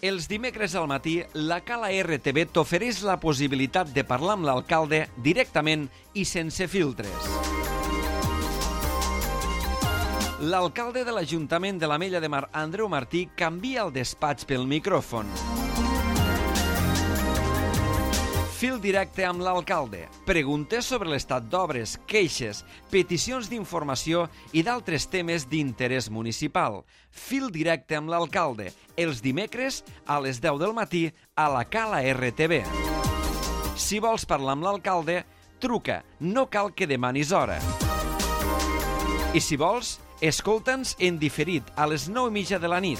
Els dimecres al matí, la Cala RTV t'ofereix la possibilitat de parlar amb l'alcalde directament i sense filtres. L'alcalde de l'Ajuntament de l'Ametlla de Mar, Andreu Martí, canvia el despatx pel micròfon. Fil directe amb l'alcalde. Preguntes sobre l'estat d'obres, queixes, peticions d'informació i d'altres temes d'interès municipal. Fil directe amb l'alcalde. Els dimecres a les 10 del matí a la Cala RTV. Si vols parlar amb l'alcalde, truca. No cal que demanis hora. I si vols, escolta'ns en diferit a les 9:30 de la nit.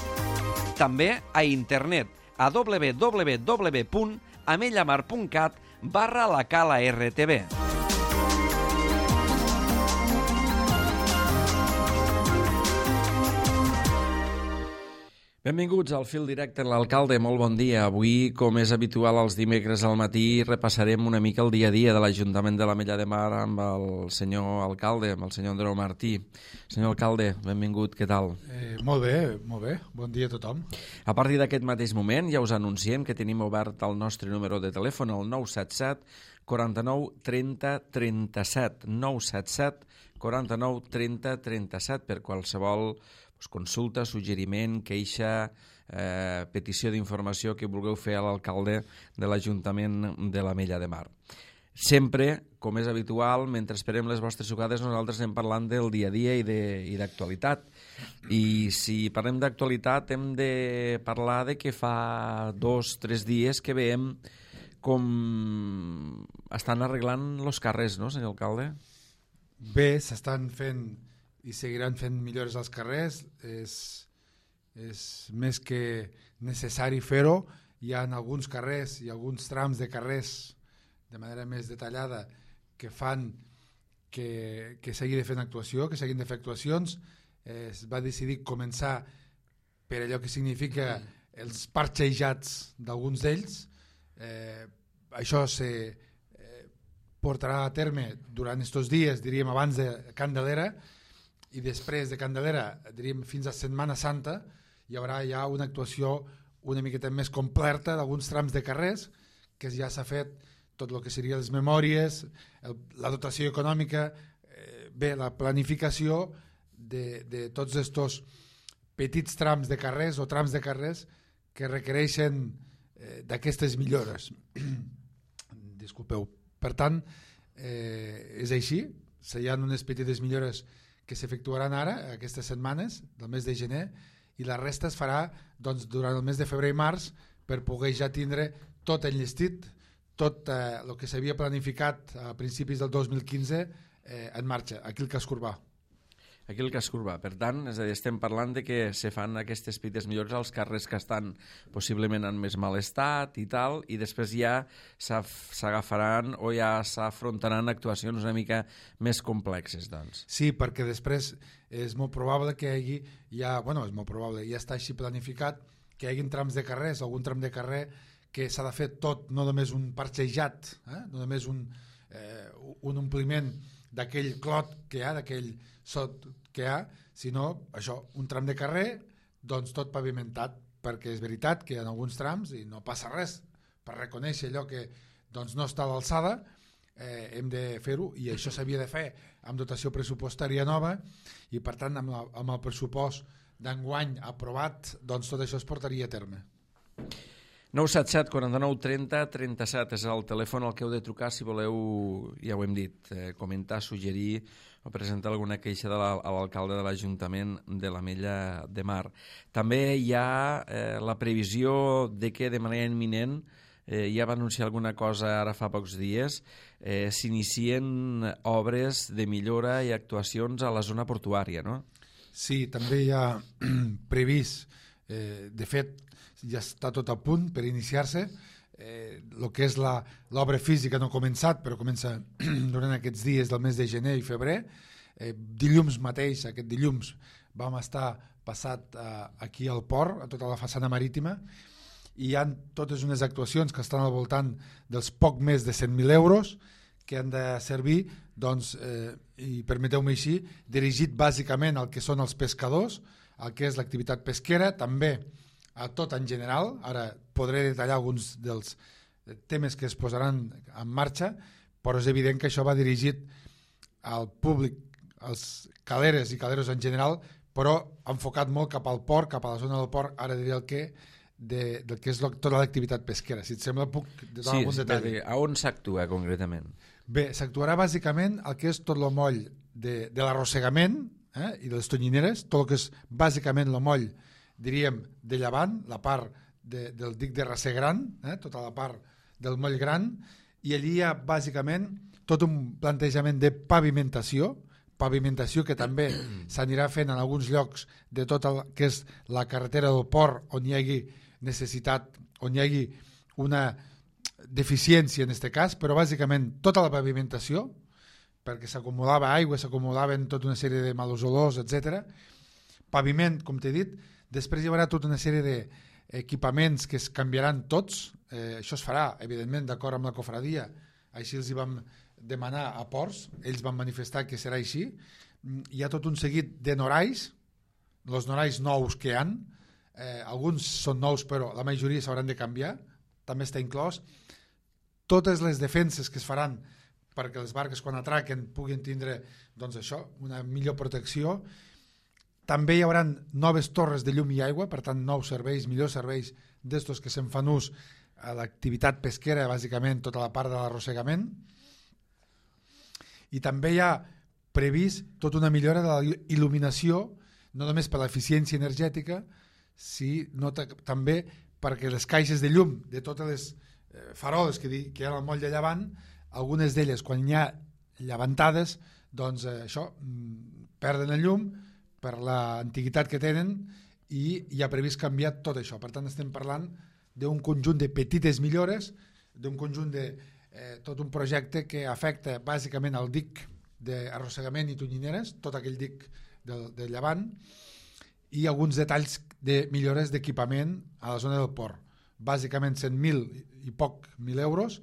També a internet a www.amellamar.cat/la Cala RTV. Benvinguts al Fil Directe amb l'alcalde, molt bon dia. Avui, com és habitual els dimecres al matí, repassarem una mica el dia a dia de l'Ajuntament de l'Ametlla de Mar amb el senyor alcalde, amb el senyor Andreu Martí. Senyor alcalde, benvingut, què tal? Molt bé, bon dia a tothom. A partir d'aquest mateix moment ja us anunciem que tenim obert el nostre número de telèfon, el 977 49 30 37, 977 49 30 37, per qualsevol consulta, suggeriment, queixa, petició d'informació que vulgueu fer a l'alcalde de l'Ajuntament de l'Ametlla de Mar. Sempre, com és habitual, mentre esperem les vostres trucades, nosaltres anem parlant del dia a dia i d'actualitat. I si parlem d'actualitat hem de parlar de que fa 2-3 dies que veiem com estan arreglant els carrers, no, senyor alcalde? Bé, s'estan fent i seguiran fent millores als carrers. És més que necessari fer-ho. Hi ha alguns carrers i alguns trams de carrers de manera més detallada que fan que s'hagi de fer actuació, que s'hagin de fer actuacions. Es va decidir començar per allò que significa els parxejats d'alguns d'ells. Això se portarà a terme durant aquests dies, diríem abans de Candelera, i després de Candelera, diríem fins a Setmana Santa, hi haurà ja una actuació una miqueta més completa d'alguns trams de carrers, que ja s'ha fet tot el que serien les memòries, la dotació econòmica, bé, la planificació de tots aquests petits trams de carrers o trams de carrers que requereixen d'aquestes millores. Disculpeu. Per tant, és així, hi ha unes petites millores que s'efectuaran ara, aquestes setmanes, del mes de gener, i la resta es farà durant el mes de febrer i març per poder ja tindre tot enllestit, tot el que s'havia planificat a principis del 2015 en marxa, aquí el Casc Urbà. Aquí el Casc Urbà. Per tant, és a dir, estem parlant de que se fan aquestes petites millores als carrers que estan possiblement en més mal estat i tal, i després ja s'agafaran o ja s'afrontaran actuacions una mica més complexes, doncs. Sí, perquè després és molt probable que hi hagi, ja està així planificat, que hi hagi trams de carrers, algun tram de carrer que s'ha de fer tot, no només un parxejat, no només un ompliment d'aquell clot que hi ha, d'aquell sot que hi ha, sinó això, un tram de carrer, doncs tot pavimentat, perquè és veritat que hi ha alguns trams i no passa res per reconèixer allò que doncs, no està a l'alçada, hem de fer-ho, i això s'havia de fer amb dotació pressupostària nova, i per tant amb el pressupost d'enguany aprovat, doncs tot això es portaria a terme. 977 49 30 37 és el telèfon al que heu de trucar si voleu, ja ho hem dit, comentar, suggerir o presentar alguna queixa a l'alcalde de l'Ajuntament de l'Ametlla de Mar. També hi ha la previsió de que de manera imminent, ja va anunciar alguna cosa ara fa pocs dies, s'inicien obres de millora i actuacions a la zona portuària, no? Sí, també hi ha previst, de fet, ja està tot a punt per iniciar-se. El que és l'obra física no ha començat, però comença durant aquests dies del mes de gener i febrer. Dilluns mateix, aquest dilluns, vam estar passat aquí al port, a tota la façana marítima, i hi ha totes unes actuacions que estan al voltant dels poc més de 100.000 euros que han de servir, doncs, i permeteu-me així, dirigit bàsicament al que són els pescadors, al que és l'activitat pesquera, també a tot en general. Ara podré detallar alguns dels temes que es posaran en marxa, però és evident que això va dirigit al públic, als caleres i caleros en general, però enfocat molt cap al port, cap a la zona del port, ara diré el que, del que és tota l'activitat pesquera. Si et sembla, puc donar algun detall. A on s'actua concretament? Bé, s'actuarà bàsicament el que és tot el moll de l'arrossegament i de les tonyineres, tot el que és bàsicament el moll, diríem, de llevant, la part del dic de Raser Gran, tota la part del moll gran, i allí hi ha bàsicament tot un plantejament de pavimentació que també s'anirà fent en alguns llocs de tot el que és la carretera del port, on hi hagi necessitat, on hi hagi una deficiència en aquest cas, però bàsicament tota la pavimentació, perquè s'acumulava aigua, s'acumulaven tota una sèrie de malos olors, etc. Paviment, com t'he dit, després hi haurà tota una sèrie d'equipaments que es canviaran tots, això es farà, evidentment, d'acord amb la cofradia, així els hi vam demanar a ports, ells van manifestar que serà així. Hi ha tot un seguit de norais, els norais nous que hi ha, alguns són nous però la majoria s'hauran de canviar, també està inclòs. Totes les defenses que es faran perquè les barques quan atraquen puguin tindre doncs això, una millor protecció. També hi haurà noves torres de llum i aigua, per tant nous serveis, millors serveis d'estos que se'n fan ús a l'activitat pesquera, bàsicament tota la part de l'arrossegament. I també hi ha previst tota una millora de la il·luminació, no només per l'eficiència energètica, sinó també perquè les caixes de llum de totes les faroles que hi ha al moll de llevant, algunes d'elles quan hi ha llevantades, doncs això, perden el llum per l'antiguitat que tenen i hi ha previst canviar tot això. Per tant, estem parlant d'un conjunt de petites millores, d'un conjunt de tot un projecte que afecta bàsicament el dic d'arrossegament i tonyineres, tot aquell dic del llevant, i alguns detalls de millores d'equipament a la zona del port. Bàsicament 100.000 i poc 1.000 euros,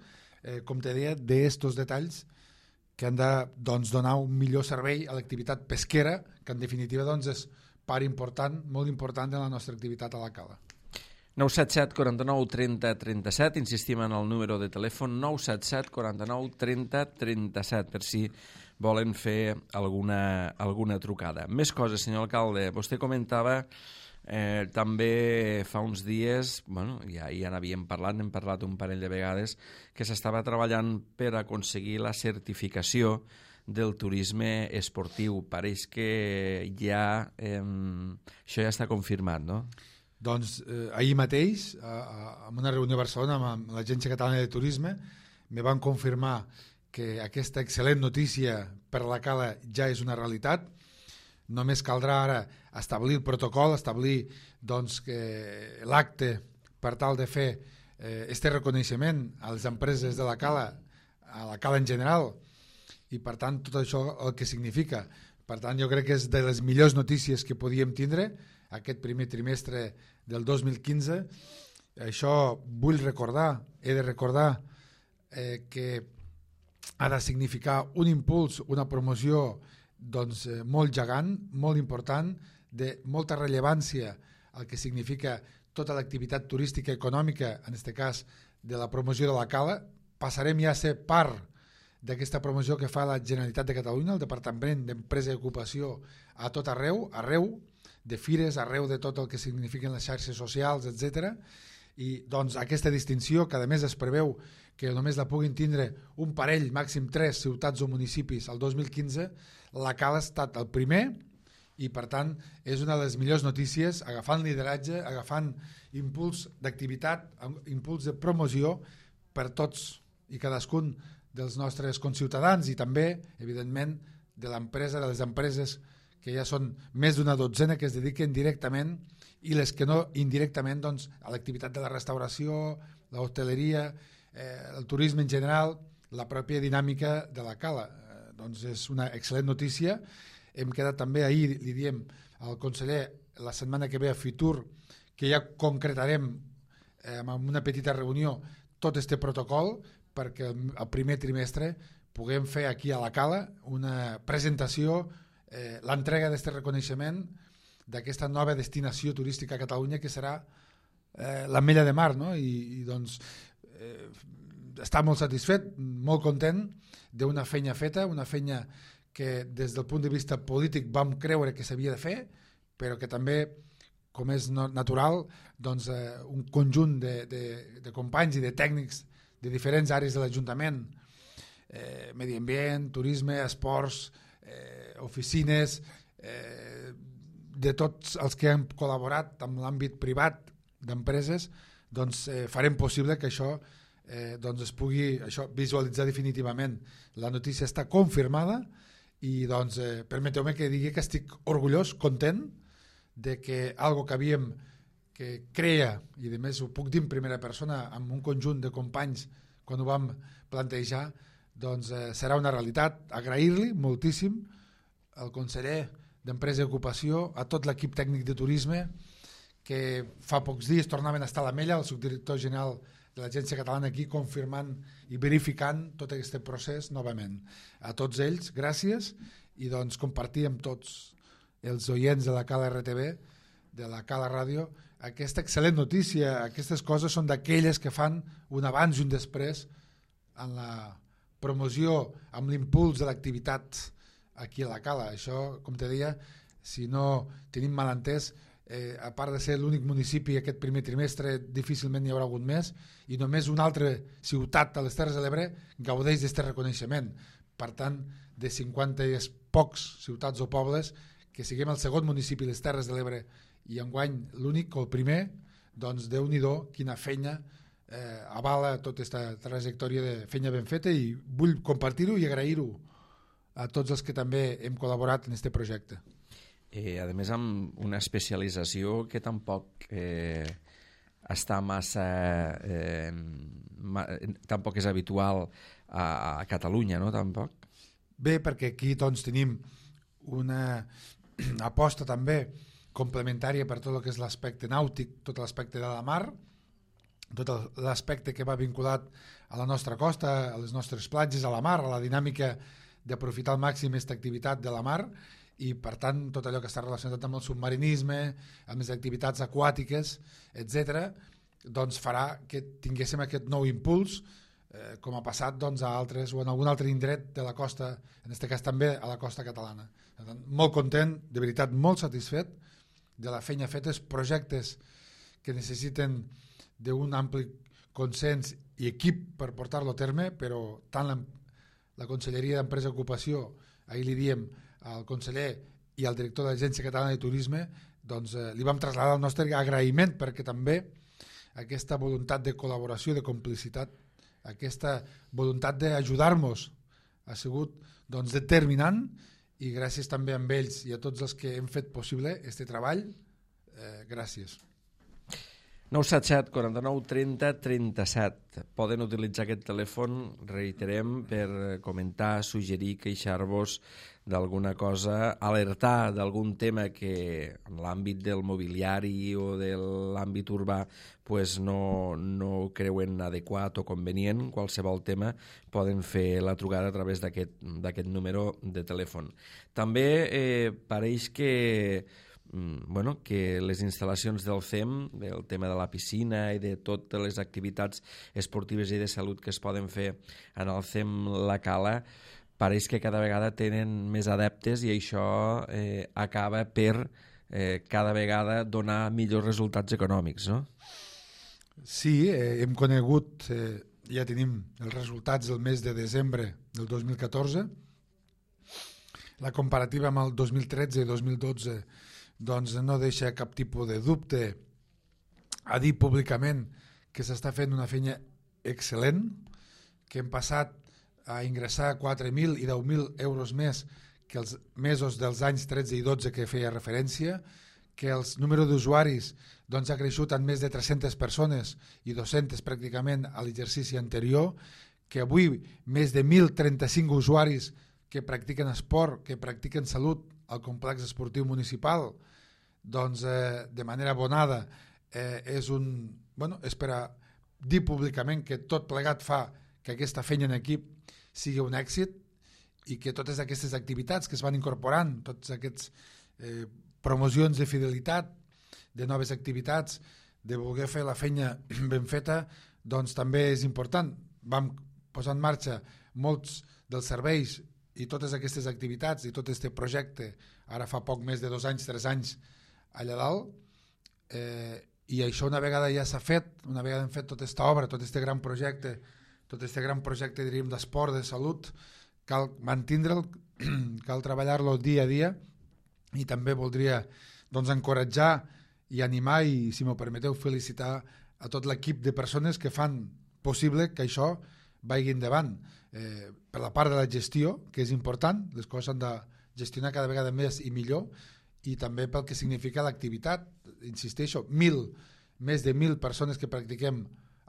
com te deia, d'estos detalls que han de donar un millor servei a l'activitat pesquera, que en definitiva és part important, molt important de la nostra activitat a la cala. 977 49 30 37, insistim en el número de telèfon 977 49 30 37 per si volen fer alguna trucada. Més coses, senyor alcalde. Vostè comentava també fa uns dies, ja n'havíem parlat, n'hem parlat un parell de vegades, que s'estava treballant per aconseguir la certificació del turisme esportiu. Pareix que això ja està confirmat, no? Doncs ahir mateix, en una reunió a Barcelona amb l'Agència Catalana de Turisme, me van confirmar que aquesta excel·lent notícia per a la cala ja és una realitat. Només caldrà ara establir el protocol, establir l'acte per tal de fer este reconeixement a les empreses de la cala, a la cala en general, i per tant tot això el que significa. Per tant, jo crec que és de les millors notícies que podíem tindre aquest primer trimestre del 2015. Això vull recordar, he de recordar que ha de significar un impuls, una promoció molt gegant, molt important, de molta rellevància el que significa tota l'activitat turística i econòmica, en aquest cas de la promoció de la cala. Passarem ja a ser part d'aquesta promoció que fa la Generalitat de Catalunya, el Departament d'Empresa i Ocupació, a tot arreu, de fires, arreu de tot el que signifiquen les xarxes socials, etc. I doncs aquesta distinció, que a més es preveu que només la puguin tindre un parell, màxim 3 ciutats o municipis el 2015, la cala ha estat el primer i per tant és una de les millors notícies, agafant lideratge, agafant impuls d'activitat, impuls de promoció per tots i cadascun dels nostres conciutadans i també, evidentment, de l'empresa, de les empreses que ja són més d'una dotzena que es dediquen directament i les que no indirectament a l'activitat de la restauració, l'hostaleria, el turisme en general, la pròpia dinàmica de la cala. Doncs és una excel·lent notícia. Hem quedat també ahir, li diem al conseller, la setmana que ve a Fitur, que ja concretarem en una petita reunió tot este protocol perquè el primer trimestre puguem fer aquí a la cala una presentació, l'entrega d'aquest reconeixement d'aquesta nova destinació turística a Catalunya que serà l'ametlla de mar, no? I doncs està molt satisfet, molt content d'una feina feta, una feina que des del punt de vista polític vam creure que s'havia de fer, però que també, com és natural, doncs, un conjunt de companys i de tècnics de diferents àrees de l'Ajuntament, medi ambient, turisme, esports, oficines, de tots els que han col·laborat amb l'àmbit privat d'empreses, doncs farem possible que això doncs es pugui visualitzar definitivament. La notícia està confirmada i doncs permeteu-me que digui que estic orgullós, content de que algo que creia, i a més ho puc dir en primera persona amb un conjunt de companys quan ho vam plantejar, doncs serà una realitat. Agrair-li moltíssim al conseller d'Empresa i Ocupació, a tot l'equip tècnic de turisme, que fa pocs dies tornaven a estar a l'Ametlla, el subdirector general de l'Agència Catalana aquí confirmant i verificant tot aquest procés novament. A tots ells, gràcies, i doncs compartir amb tots els oients de la Cala RTV, de la Cala Ràdio, aquesta excel·lent notícia. Aquestes coses són d'aquelles que fan un abans i un després en la promoció, amb l'impuls de l'activitat aquí a la Cala. Això, com te deia, si no tenim malentès, a part de ser l'únic municipi aquest primer trimestre, difícilment n'hi haurà hagut més, i només una altra ciutat a les Terres de l'Ebre gaudeix d'aquest reconeixement. Per tant, de 50 i pocs ciutats o pobles, que siguem el segon municipi de les Terres de l'Ebre i enguany l'únic o el primer, doncs Déu-n'hi-do quina feina avala tota aquesta trajectòria de feina ben feta, i vull compartir-ho i agrair-ho a tots els que també hem col·laborat en aquest projecte. A més, amb una especialització que tampoc està massa... tampoc és habitual a Catalunya, no? Tampoc. Bé, perquè aquí doncs, tenim una aposta també complementària per tot el que és l'aspecte nàutic, tot l'aspecte de la mar, tot l'aspecte que va vinculat a la nostra costa, a les nostres platges, a la mar, a la dinàmica d'aprofitar al màxim aquesta activitat de la mar, i per tant tot allò que està relacionat amb el submarinisme, amb les activitats aquàtiques, etc., doncs farà que tinguéssim aquest nou impuls, com ha passat doncs, a altres o en algun altre indret de la costa, en aquest cas també a la costa catalana. Per tant, molt content, de veritat molt satisfet de la feina feta, els projectes que necessiten d'un ampli consens i equip per portar-lo a terme, però tant la Conselleria d'Empresa i Ocupació, ahir li diem al conseller i al director de l'Agència Catalana de Turisme, doncs li vam traslladar el nostre agraïment, perquè també aquesta voluntat de col·laboració, de complicitat, aquesta voluntat d'ajudar-nos ha sigut doncs, determinant, i gràcies també a ells i a tots els que hem fet possible aquest treball. Gràcies. 977 49 30 37. Poden utilitzar aquest telèfon, reiterem, per comentar, suggerir, queixar-vos d'alguna cosa, alertar d'algun tema que en l'àmbit del mobiliari o de l'àmbit urbà pues no creuen adequat o convenient. Qualsevol tema poden fer la trucada a través d'aquest número de telèfon. També pareix que les instal·lacions del CEM, del tema de la piscina i de totes les activitats esportives i de salut que es poden fer en el CEM La Cala, pareix que cada vegada tenen més adeptes, i això acaba per cada vegada donar millors resultats econòmics, no? Sí, hem conegut, ja tenim els resultats del mes de desembre del 2014, la comparativa amb el 2013 i 2012 doncs no deixa cap tipus de dubte a dir públicament que s'està fent una feina excel·lent, que hem passat a ingressar 4.000 i 10.000 euros més que els mesos dels anys 13 i 12 que feia referència, que el número d'usuaris doncs, ha creixut en més de 300 persones i 200 pràcticament a l'exercici anterior, que avui més de 1.035 usuaris que practiquen esport, que practiquen salut al complex esportiu municipal, doncs de manera abonada és per a dir públicament que tot plegat fa que aquesta feina en equip sigui un èxit, i que totes aquestes activitats que es van incorporant, totes aquestes promocions de fidelitat, de noves activitats, de voler fer la feina ben feta, doncs també és important. Vam posar en marxa molts dels serveis i totes aquestes activitats i tot aquest projecte, ara fa poc més de 2 anys, 3 anys, allà dalt, i això una vegada ja s'ha fet, una vegada hem fet tota aquesta obra, tot aquest gran projecte diríem d'esport, de salut, cal mantindre'l, cal treballar-lo dia a dia, i també voldria doncs, encoratjar i animar i, si m'ho permeteu, felicitar a tot l'equip de persones que fan possible que això vagi endavant. Per la part de la gestió, que és important, les coses s'han de gestionar cada vegada més i millor, i també pel que significa l'activitat. Insisteixo, més de 1.000 persones que practiquem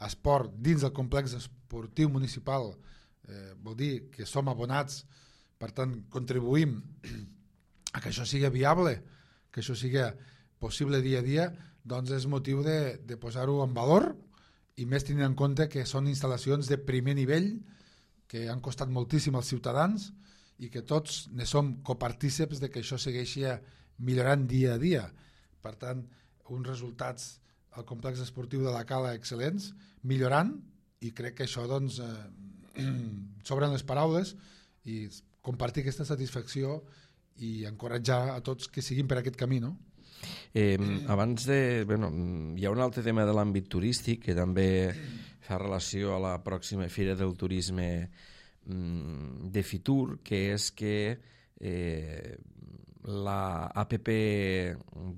esport dins del complex esportiu municipal, vol dir que som abonats, per tant contribuïm a que això sigui viable, que això sigui possible dia a dia, doncs és motiu de posar-ho en valor, i més tenint en compte que són instal·lacions de primer nivell que han costat moltíssim als ciutadans i que tots ne som copartíceps de que això segueixi millorant dia a dia. Per tant, uns resultats al complex esportiu de la Cala excel·lents, millorant, i crec que això doncs, sobren les paraules, i compartir aquesta satisfacció i encoratjar a tots que siguin per aquest camí, no? Abans de... Bueno, hi ha un altre tema de l'àmbit turístic que també fa relació a la pròxima Fira del Turisme de Fitur, que és que la APP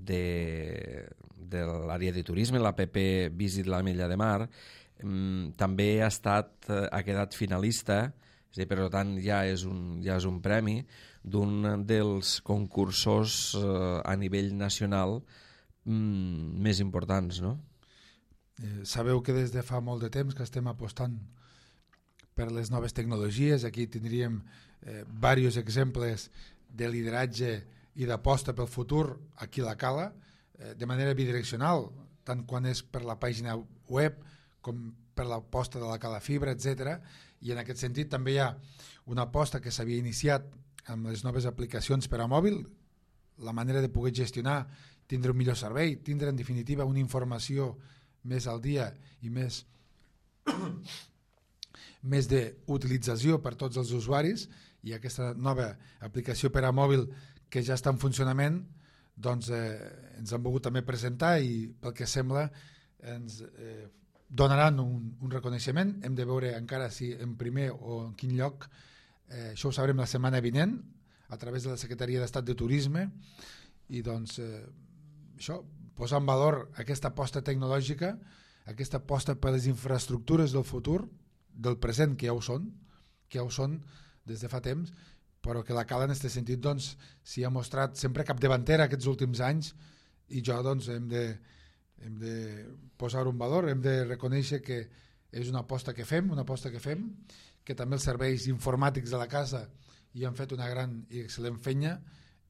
de l'àrea de turisme, l'APP Visit l'Ametlla de Mar, també ha quedat finalista, per tant ja és un premi d'un dels concursos a nivell nacional més importants, no? Sabeu que des de fa molt de temps que estem apostant per les noves tecnologies. Aquí tindríem diversos exemples de lideratge i d'aposta pel futur aquí a la Cala, de manera bidireccional, tant quan és per la pàgina web com per l'aposta de la Cala Fibra, etc. I en aquest sentit també hi ha una aposta que s'havia iniciat amb les noves aplicacions per a mòbil, la manera de poder gestionar, tindre un millor servei, tindre en definitiva una informació més al dia i més d'utilització per tots els usuaris, i aquesta nova aplicació per a mòbil que ja està en funcionament, doncs ens han volgut també presentar, i pel que sembla ens donaran un reconeixement. Hem de veure encara si en primer o en quin lloc. Això ho sabrem la setmana vinent a través de la Secretaria d'Estat de Turisme, i doncs això, posar en valor aquesta aposta tecnològica, aquesta aposta per les infraestructures del futur, del present, que ja ho són des de fa temps, però que la Cala en aquest sentit doncs, s'hi ha mostrat sempre capdavantera aquests últims anys, i jo doncs hem de posar-ho en valor, hem de reconèixer que és una aposta que fem, que també els serveis informàtics de la casa hi han fet una gran i excel·lent feina,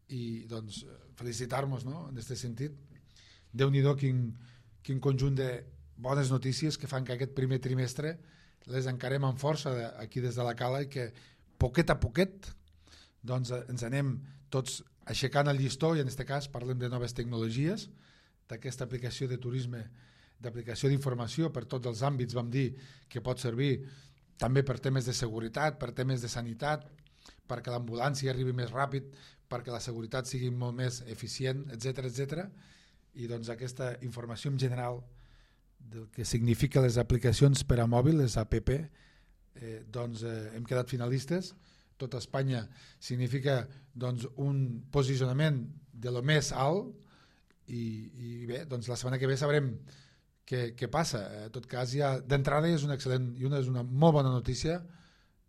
i doncs felicitar-nos, no? En aquest sentit. Déu-n'hi-do quin conjunt de bones notícies que fan que aquest primer trimestre les encarem amb força aquí des de la Cala, i que poquet a poquet doncs ens anem tots aixecant el llistó, i en aquest cas parlem de noves tecnologies, d'aquesta aplicació de turisme, d'aplicació d'informació per tots els àmbits. Vam dir que pot servir també per temes de seguretat, per temes de sanitat, perquè l'ambulància arribi més ràpid, perquè la seguretat sigui molt més eficient, etc. I doncs aquesta informació en general del que significa les aplicacions per a mòbil, les APP, doncs hem quedat finalistes. Tot Espanya significa doncs, un posicionament de lo més alt, i bé, doncs la setmana que ve sabrem què passa. En tot cas, ja d'entrada és una excel·lent i és una molt bona notícia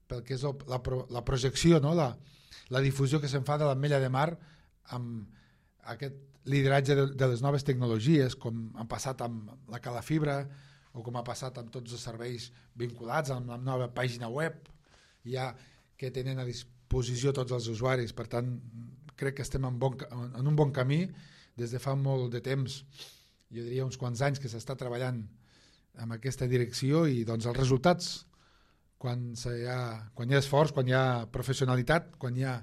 pel que és la projecció, no? La difusió que se'n fa de l'Ametlla de Mar amb aquest lideratge de les noves tecnologies, com ha passat amb la Cala Fibra, o com ha passat amb tots els serveis vinculats amb la nova pàgina web, ja que tenen a disposició tots els usuaris. Per tant, crec que estem en un bon camí des de fa molt de temps, jo diria uns quants anys, que s'està treballant en aquesta direcció, i doncs els resultats, quan hi ha esforç, quan hi ha professionalitat, quan hi ha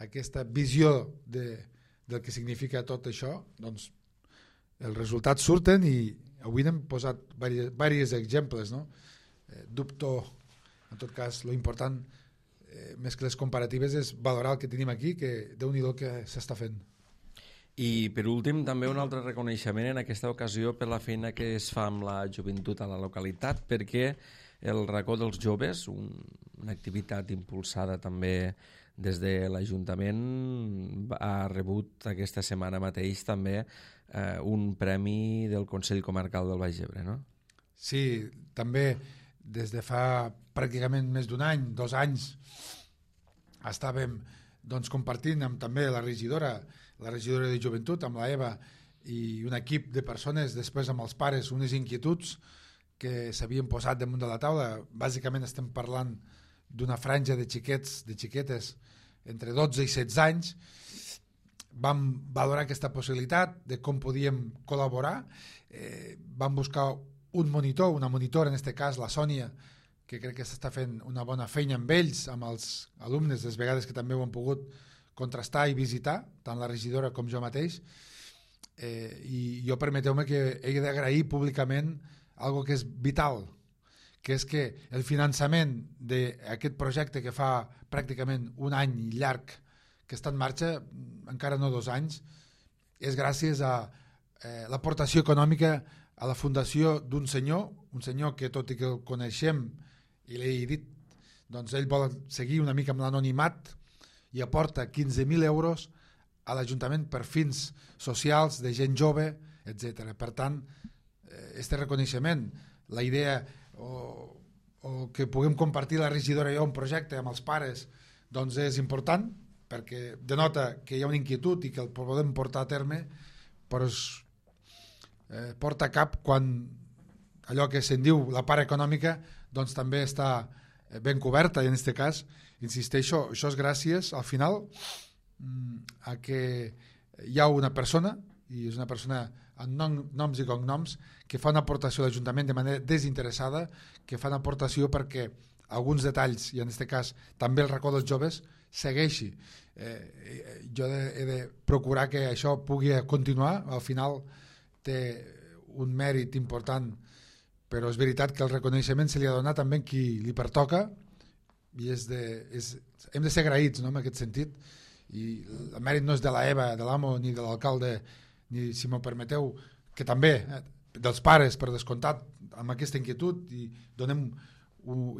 aquesta visió del que significa tot això, doncs els resultats surten, i avui n'hem posat diversos exemples, no? Dubto, en tot cas, lo important, més que les comparatives, és valorar el que tenim aquí, que Déu-n'hi-do que s'està fent. I per últim també un altre reconeixement en aquesta ocasió per la feina que es fa amb la joventut a la localitat, perquè el racó dels joves, una activitat impulsada també des de l'Ajuntament, ha rebut aquesta setmana mateix també un premi del Consell Comarcal del Baix Ebre, no? Sí, també des de fa pràcticament més d'un any, 2 anys, estàvem compartint amb també la regidora de joventut, amb la Eva, i un equip de persones, després amb els pares, unes inquietuds que s'havien posat damunt de la taula. Bàsicament estem parlant d'una franja de xiquets, de xiquetes, entre 12 i 16 anys. Vam valorar aquesta possibilitat de com podíem col·laborar. Vam buscar un monitor, una monitora, en aquest cas la Sònia, que crec que s'està fent una bona feina amb ells, amb els alumnes, les vegades que també ho han pogut contrastar i visitar, tant la regidora com jo mateix. I jo permeteu-me que he d'agrair públicament algo que és vital, que és que el finançament d'aquest projecte que fa pràcticament un any llarg que està en marxa, encara no 2 anys, és gràcies a l'aportació econòmica a la fundació d'un senyor, un senyor que tot i que el coneixem i l'he dit, doncs ell vol seguir una mica amb l'anonimat i aporta 15.000 euros a l'Ajuntament per fins socials de gent jove, etc. Per tant, este reconeixement, la idea o que puguem compartir la regidora i jo un projecte amb els pares, doncs és important perquè denota que hi ha una inquietud i que el podem portar a terme, però es porta a cap quan allò que se'n diu la part econòmica doncs també està ben coberta, i en aquest cas, insisteixo, això és gràcies al final a que hi ha una persona, i és una persona amb noms i cognoms, que fa una aportació a l'Ajuntament de manera desinteressada, que fa una aportació perquè alguns detalls, i en aquest cas també el racó dels joves, segueixi. Jo he de procurar que això pugui continuar, al final té un mèrit important, però és veritat que el reconeixement se li ha donat també a qui li pertoca, i hem de ser agraïts, no?, en aquest sentit, i el mèrit no és de la Eva, de l'amo, ni de l'alcalde, ni, si m'ho permeteu, que també dels pares, per descomptat, amb aquesta inquietud, i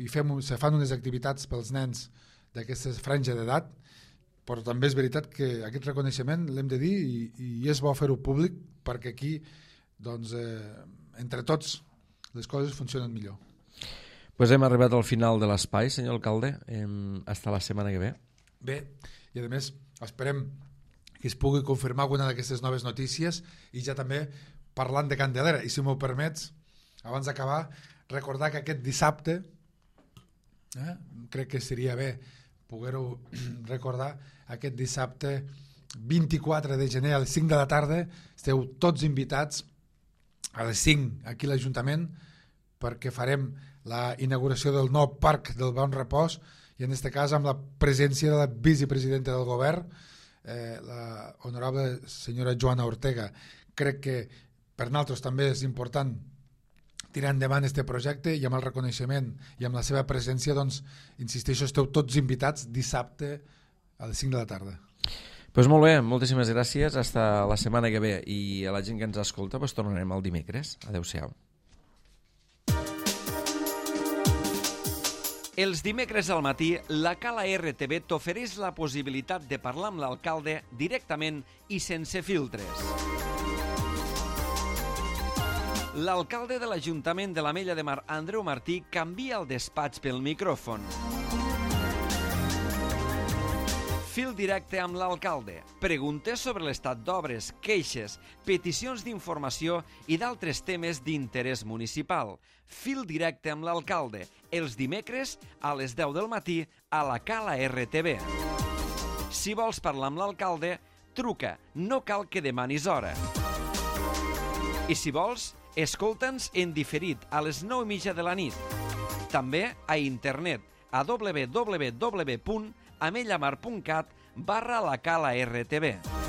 se fan unes activitats pels nens d'aquesta franja d'edat, però també és veritat que aquest reconeixement l'hem de dir i és bo fer-ho públic perquè aquí, doncs, entre tots, les coses funcionen millor. Pues hem arribat al final de l'espai, senyor alcalde. Hasta la setmana que ve. Bé, i a més esperem que es pugui confirmar alguna d'aquestes noves notícies, i ja també parlant de Candelera, i si m'ho permets, abans d'acabar, recordar que aquest dissabte, crec que seria bé poder-ho recordar, aquest dissabte 24 de gener a les 5 de la tarda esteu tots invitats a les 5 aquí a l'Ajuntament, perquè farem la inauguració del nou parc del Bon Repòs, i en aquest cas amb la presència de la vicepresidenta del govern, la honorable senyora Joana Ortega. Crec que per nosaltres també és important tirar endavant aquest projecte, i amb el reconeixement i amb la seva presència, doncs, insisteixo, esteu tots invitats dissabte a les 5 de la tarda. Pues molt bé, moltíssimes gràcies, hasta la setmana que ve, i a la gent que ens escolta pues tornarem el dimecres. Adéu-siau. Els dimecres al matí, la Cala RTV t'ofereix la possibilitat de parlar amb l'alcalde directament i sense filtres. L'alcalde de l'Ajuntament de l'Ametlla de Mar, Andreu Martí, canvia el despatx pel micròfon. Fil directe amb l'alcalde. Preguntes sobre l'estat d'obres, queixes, peticions d'informació i d'altres temes d'interès municipal. Fil directe amb l'alcalde. Els dimecres a les 10 del matí a la Cala RTV. Si vols parlar amb l'alcalde, truca. No cal que demanis hora. I si vols, escolta'ns en diferit a les 9:30 de la nit. També a internet a www.amellamar.cat/la Cala RTV.